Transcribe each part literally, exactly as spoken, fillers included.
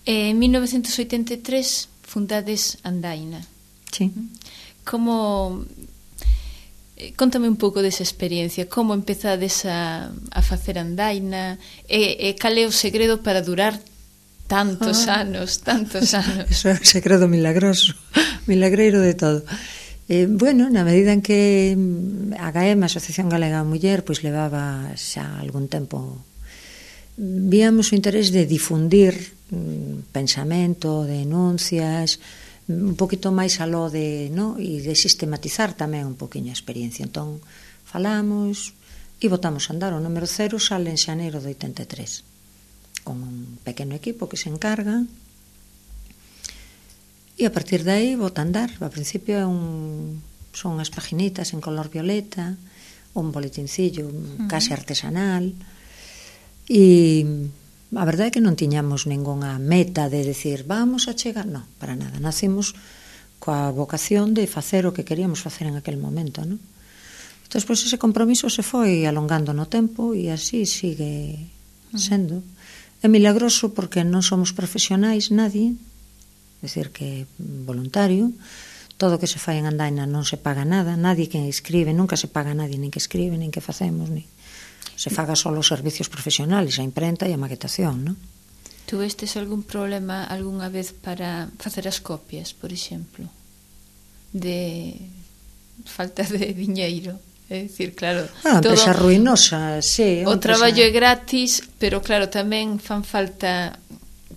En mil novecientos oitenta e tres fundades Andaina. Sí. Como... Contame un pouco desa experiencia, como empezades a, a facer Andaina e, e cal é o segredo para durar tantos ah. anos, tantos anos. Eso é un segredo milagroso, milagreiro de todo. Eh, bueno, na medida en que a G A E M, a Asociación Galega da Muller, pois levaba xa algún tempo, víamos o interés de difundir mm, pensamento, denuncias, un poquito máis aló de, no? E de sistematizar tamén un poquinho a experiencia. Entón, falamos e botamos a andar. O número cero sale en xaneiro de oitenta e tres, con un pequeno equipo que se encarga, e a partir de aí bota a andar. Ao principio é un, son as paginitas en color violeta, un boletincillo uh-huh. case artesanal, e a verdade é que non tiñamos ningunha meta de decir vamos a chegar, non, para nada. Nacimos coa vocación de facer o que queríamos facer en aquel momento, non? Entón, pois, ese compromiso se foi alongando no tempo e así sigue sendo. É milagroso porque non somos profesionais, nadie, é dicir que voluntario, todo o que se fai en Andaina non se paga nada, nadie que escribe, nunca se paga nadie, nin que escribe, nin que facemos, nin... se faga só os servicios profesionales, a imprenta e a maquetación, non? Tuvestes algún problema algunha vez para facer as copias, por exemplo? De falta de diñeiro? É dicir, claro... Ah, empresa ruinosa, sí. O traballo é gratis, pero claro, tamén fan falta...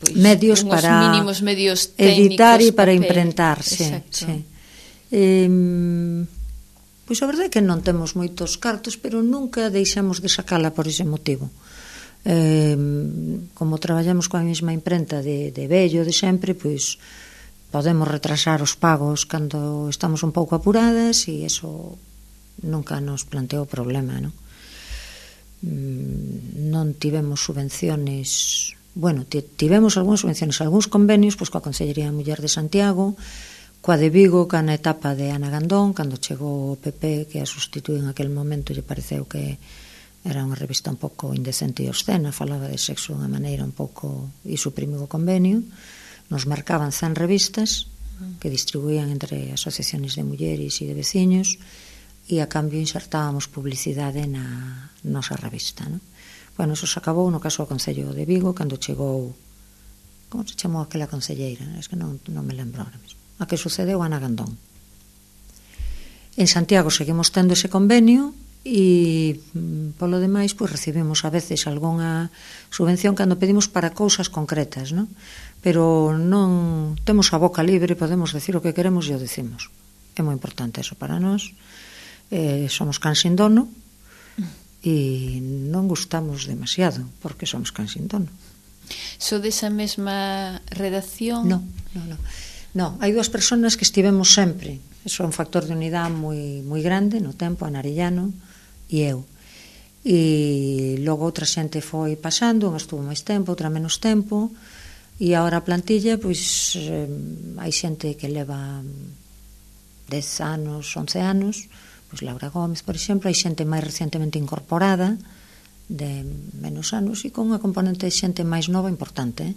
Pois, medios para mínimos medios técnicos, editar e para papel. imprentar, sí, sí. Eh, pois a verdade é que non temos moitos cartos, pero nunca deixamos de sacala por ese motivo. Eh, como traballamos coa mesma imprenta de, de vello, de sempre, pois podemos retrasar os pagos cando estamos un pouco apuradas e eso nunca nos planteou problema, non? Non tivemos subvenciones, bueno, tivemos algúnas subvenciones, algúns convenios, pois coa Consellería da Muller de Santiago, coa de Vigo, ca na etapa de Ana Gandón, cando chegou o P P, que a sustituí en aquel momento, lle pareceu que era unha revista un pouco indecente e obscena, falaba de sexo de unha maneira un pouco, e suprimiu o convenio. Nos marcaban cen revistas que distribuían entre asociaciones de mulleres e de veciños, e a cambio insertábamos publicidade na nosa revista, non? Bueno, eso se acabou no caso do Concello de Vigo, cando chegou, como se chamou aquela concelleira? Es que non, non me lembro ahora mesmo. A que sucedeu Ana Gandón. En Santiago seguimos tendo ese convenio e polo demais pois recibimos a veces algunha subvención cando pedimos para cousas concretas, non? Pero non temos a boca libre, podemos decir o que queremos e o decimos. É moi importante eso para nós. Eh, somos can sin dono e non gustamos demasiado porque somos can sin dono. So desa mesma redacción? Non, non, non. No, hai dúas persoas que estivemos sempre. Eso é un factor de unidade moi moi grande no tempo, Ana Arellano e eu. E logo outra xente foi pasando, unha estuvo máis tempo, outra menos tempo, e agora a plantilla, pois eh, hai xente que leva dez anos, once anos, pois Laura Gómez, por exemplo, hai xente máis recientemente incorporada de menos anos e con unha componente de xente máis nova importante, eh?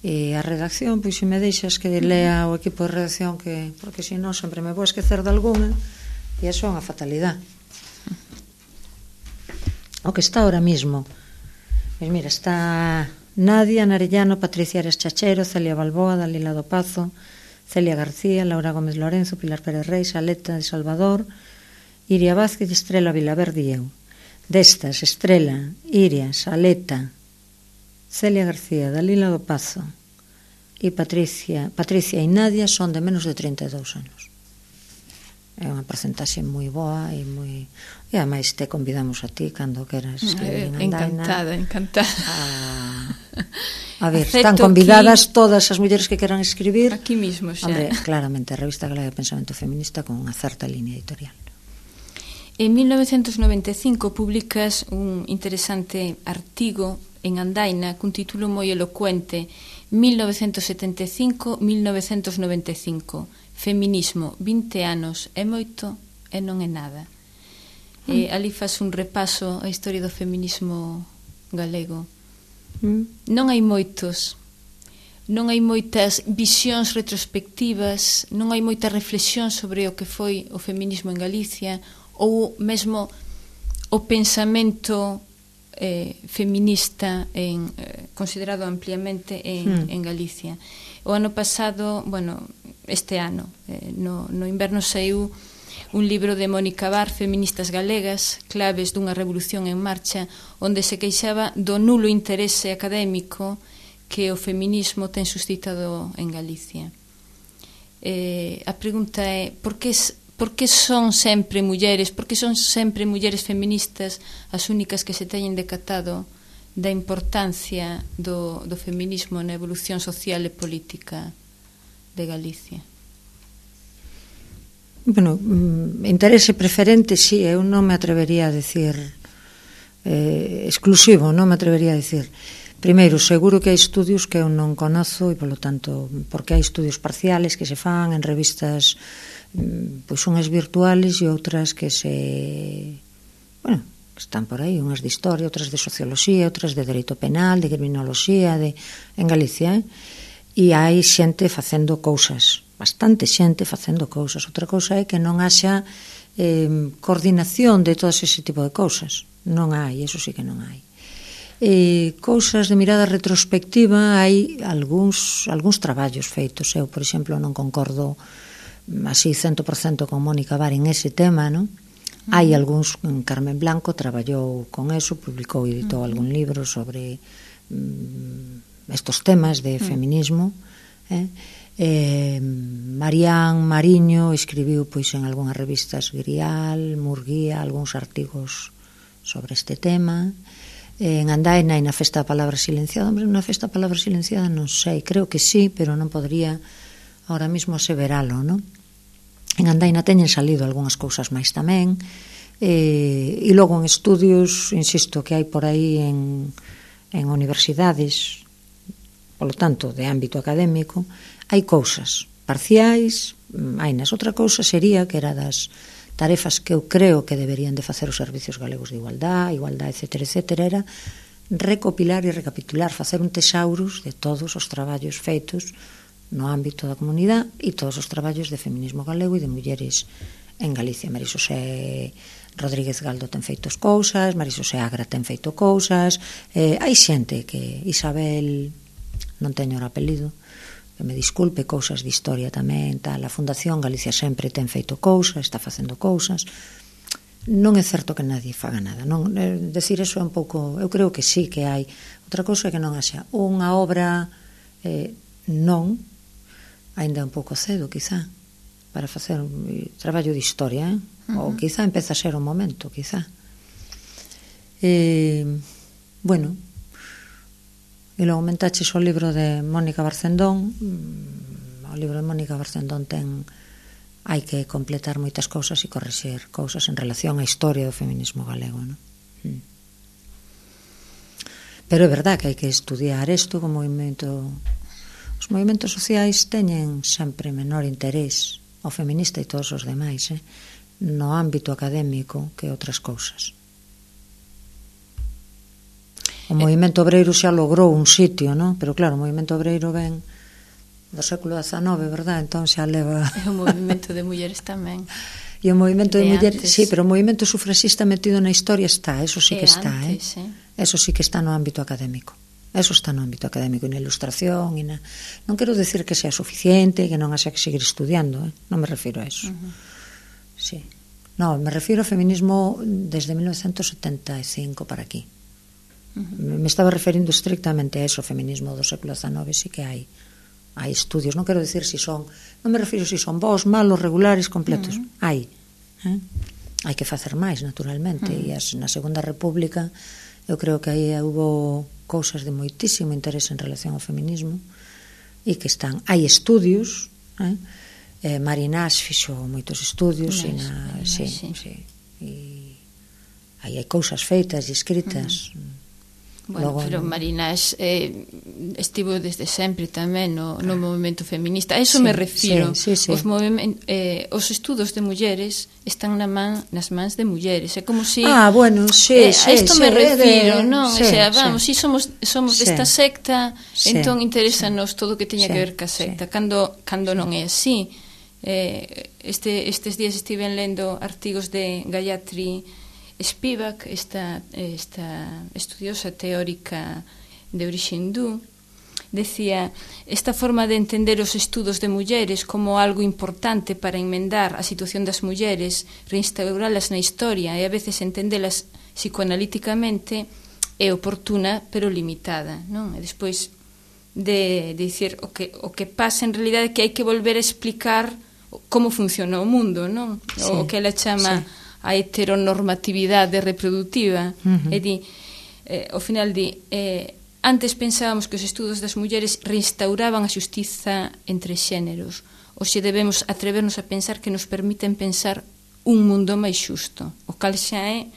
E a redacción, pois se me deixas que lea o equipo de redacción, que porque se non sempre me vou esquecer de alguna e iso é unha fatalidade. O que está ahora mismo, pois mira, está Nadia Narellano, Patricia Ares Chachero, Celia Balboa, Dalila do Pazo, Celia García, Laura Gómez Lorenzo, Pilar Pérez Reis, Aleta de Salvador, Iria Vázquez, Estrela Vilaverde e eu. Destas, Estrela, Iria, Aleta, Celia García, Dalila do Pazo e Patricia, Patricia e Nadia son de menos de trinta e dous anos. É unha porcentaxe moi boa e moi... E ademais te convidamos a ti cando queras escribir en Andaina. Encantada, encantada. A, a ver, acepto, están convidadas aquí, todas as mulleres que queran escribir. Aquí mismo xa. Hombre, claramente, a Revista Galega de Pensamento Feminista con unha certa línea editorial. En mil novecientos noventa e cinco publicas un interesante artigo en Andaina cun título moi elocuente, mil novecientos setenta e cinco a mil novecientos noventa e cinco, Feminismo, vinte anos é moito e non é nada. Mm. E ali faz un repaso á historia do feminismo galego. Mm. Non hai moitos non hai moitas visións retrospectivas, non hai moita reflexión sobre o que foi o feminismo en Galicia, ou mesmo o pensamento eh, feminista en, eh, considerado ampliamente en, hmm. en Galicia. O ano pasado, bueno, este ano, eh, no, no inverno saiu un libro de Mónica Bar, Feministas Galegas, claves dunha revolución en marcha, onde se queixaba do nulo interese académico que o feminismo ten suscitado en Galicia. Eh, a pregunta é, por que, por que son sempre mulleres, por que son sempre mulleres feministas as únicas que se teñen decatado da importancia do, do feminismo na evolución social e política de Galicia? Bueno, interese preferente, sí, eu non me atrevería a decir eh, exclusivo, non me atrevería a decir. Primeiro, seguro que hai estudios que eu non conozo e, polo tanto, porque hai estudios parciales que se fan en revistas pois unhas virtuales e outras que se... bueno, están por aí, unhas de historia, outras de socioloxía, outras de dereito penal, de criminoloxía, de, en Galicia, eh? E hai xente facendo cousas, bastante xente facendo cousas. Outra cousa é que non haxa eh, coordinación de todo ese tipo de cousas. Non hai, eso sí que non hai. Eh, cousas de mirada retrospectiva, hai algúns, algúns traballos feitos. Eu, por exemplo, non concordo así cento por cento con Mónica Bar en ese tema, non? Hai algúns, Carmen Blanco traballou con eso, publicou e editou algún libro sobre mm, estos temas de feminismo, eh? Eh, Marián Mariño escribiu pois en algunhas revistas Grial, Murguía, algúns artigos sobre este tema. Eh, en Andaina e na Festa da Palabra Silenciada, hombre, na Festa da Palabra Silenciada non sei, creo que sí, pero non podría ahora mismo aseveralo, non? En Andaina teñen salido algunhas cousas máis tamén, eh, e logo en estudios, insisto, que hai por aí en, en universidades, polo tanto, de ámbito académico, hai cousas parciais, hai nas. Outra cousa sería que era das tarefas que eu creo que deberían de facer os servicios galegos de igualdade, igualdade, etcétera, etcétera, era recopilar e recapitular, facer un tesaurus de todos os traballos feitos no ámbito da comunidade e todos os traballos de feminismo galego e de mulleres en Galicia. Marisosé Rodríguez Galdo ten feitos cousas, Marisosé Agra ten feito cousas, eh, hai xente que Isabel, non teño o apelido, que me disculpe, cousas de historia tamén, tal, a Fundación Galicia Sempre ten feito cousas, está facendo cousas. Non é certo que nadie faga nada, non, eh, decir eso é un pouco, eu creo que sí que hai. Outra cousa é que non haxa unha obra, eh, non, ainda un pouco cedo, quizá, para facer un traballo de historia, eh? Uh-huh. Ou quizá empeza a ser o momento, quizá. Eh, bueno, e logo mentaches o libro de Mónica Barcendón. O libro de Mónica Barcendón ten, hai que completar moitas cousas e correxer cousas en relación á historia do feminismo galego, non? Mm. Pero é verdad que hai que estudiar isto como movimento. Os movimentos sociais teñen sempre menor interés, o feminista e todos os demais, eh, no ámbito académico que outras cousas. O movimento obreiro xa logrou un sitio, non? Pero claro, o movimento obreiro ven do século dezanove, verdad? Entón xa leva... É o movimento de mulleres tamén. E o movimento de, de mulleres, sí, pero o movimento sufraxista metido na historia está, eso sí que está, antes, eh? eh? Eso sí que está no ámbito académico. Eso está no ámbito académico e na ilustración e na... Non quero decir que sea suficiente, que non haxa que seguir estudiando, eh? Non me refiro a eso. Uh-huh. Sí. No, me refiro ao feminismo desde mil novecientos setenta e cinco para aquí. Uh-huh. Me estaba referindo estrictamente a eso, o feminismo do século dezanove, sí que hai hai estudios, non quero decir si son, non me refiro si son bons, malos, regulares, completos. Uh-huh. Hai. Eh? Hai que facer máis, naturalmente, uh-huh. E as, na Segunda República eu creo que aí hubo cousas de moitísimo interés en relación ao feminismo e que están, hai estudios, eh? Eh, Marinás fixo moitos estudios, e na, Marinás, sí, sí. Sí, e aí hai cousas feitas e escritas. Uh-huh. Bueno, Logo, pero no... Marinas eh, estivo desde sempre tamén no, no movimento feminista. A iso sí, me refiro. Sí, sí, sí. Os, eh, os estudos de mulleres están na man, nas mans de mulleres. É como si... Ah, bueno, sí, eh, sí. A isto sí, me refiro, de... non? Sí, o sea, vamos, sí. si somos, somos sí. desta secta, sí, entón interésanos sí. todo o que teña sí, que ver ca secta. Sí. Cando, cando non é así. Eh, este, estes días estiven lendo artigos de Gayatri Spivak, esta, esta estudiosa teórica de orixe hindú, decía: esta forma de entender os estudos de mulleres como algo importante para enmendar a situación das mulleres, reinstauralas na historia e a veces entendelas psicoanalíticamente é oportuna pero limitada, non? E despois de, de dicir o que, o que pasa en realidade é que hai que volver a explicar como funciona o mundo, non? Sí, o que ela chama sí. a heteronormatividade reproductiva. Uh-huh. E di, eh, ao final di, eh, antes pensábamos que os estudos das mulleres reinstauraban a xustiza entre xéneros. Hoxe debemos atrevernos a pensar que nos permiten pensar un mundo máis xusto, o cal xa é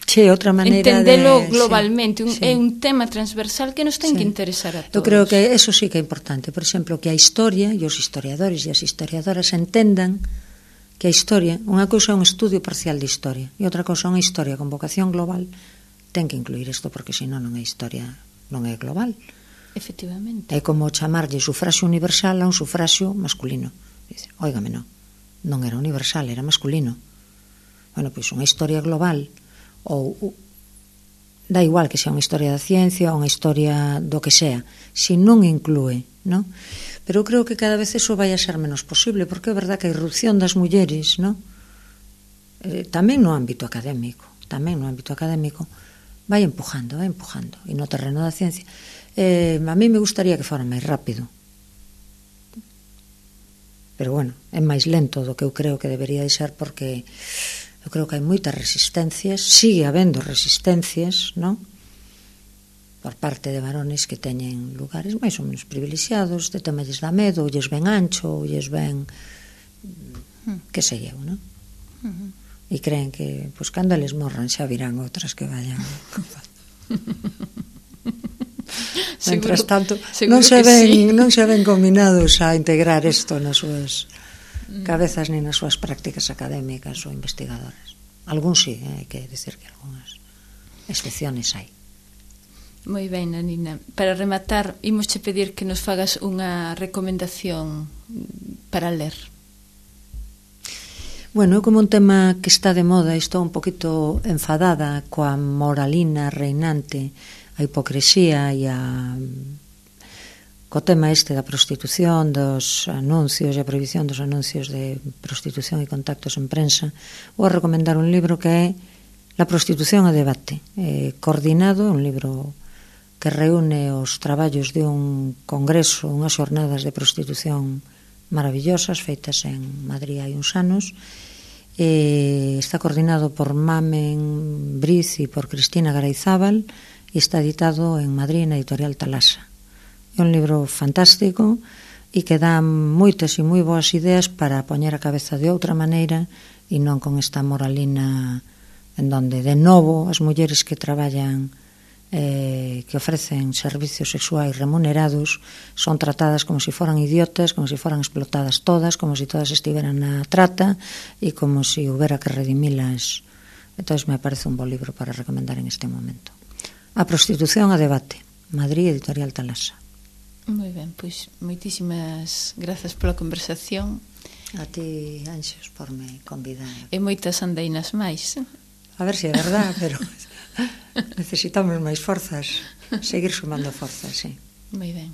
sí, outra maneira entendelo de... globalmente, sí, un, sí. é un tema transversal que nos ten sí. que interesar a todos. Eu creo que eso sí que é importante, por exemplo, que a historia e os historiadores e as historiadoras entendan que a historia, unha cousa é un estudio parcial de historia e outra cousa é unha historia con vocación global. Ten que incluir isto porque senón non é historia, non é global. Efectivamente. É como chamarlle sufraxio universal a un sufraxio masculino. Dice, óigame, non, non era universal, era masculino. Bueno, pois unha historia global ou dá igual que sea unha historia da ciencia ou unha historia do que sea, se non inclúe, non? Pero eu creo que cada vez eso vai a ser menos posible, porque é verdad que a irrupción das mulleres, non? Eh, tamén no ámbito académico, tamén no ámbito académico, vai empujando, vai empujando, e no terreno da ciencia. Eh, a mí me gustaría que fora máis rápido, pero bueno, é máis lento do que eu creo que debería de ser, porque eu creo que hai moitas resistencias, sigue habendo resistencias, non? Por parte de varones que teñen lugares máis ou menos privilexiados, de tema lles dá medo, ou lles ven ancho, ou lles ven que sei eu, non? Uh-huh. E creen que, pois, cando eles morran xa virán outras que vayan. Mientras tanto, non se ven, sí. non se ven combinados a integrar isto nas súas cabezas ni nas súas prácticas académicas ou investigadoras. Algúns sí, eh, hai que decir que algunhas excepciones hai. Moi ben, Nanina. Para rematar, imos che pedir que nos fagas unha recomendación para ler. Bueno, como un tema que está de moda, estou un poquito enfadada coa moralina reinante, a hipocresía e a co tema este da prostitución, dos anuncios e a prohibición dos anuncios de prostitución e contactos en prensa. Vou a recomendar un libro que é La prostitución a debate, eh, coordinado, un libro que reúne os traballos de un congreso, unhas xornadas de prostitución maravillosas feitas en Madrid hai uns anos. Eh, está coordinado por Mamen Briz e por Cristina Garayzábal e está editado en Madrid na editorial Talasa. É un libro fantástico e que dá moitas e moi boas ideas para poñer a cabeza de outra maneira e non con esta moralina en donde de novo as mulleres que traballan eh, que ofrecen servicios sexuais remunerados son tratadas como se foran idiotas, como se foran explotadas todas, como se todas estiveran na trata e como se houbera que redimilas. Entón me parece un bo libro para recomendar en este momento. A prostitución a debate, Madrid, editorial Talasa. Moi ben, pois moitísimas grazas pola conversación. A ti, Anxos, por me convidar. E moitas andainas máis. A ver se é verdad, pero necesitamos máis forzas, seguir sumando forzas, sí. Moi ben.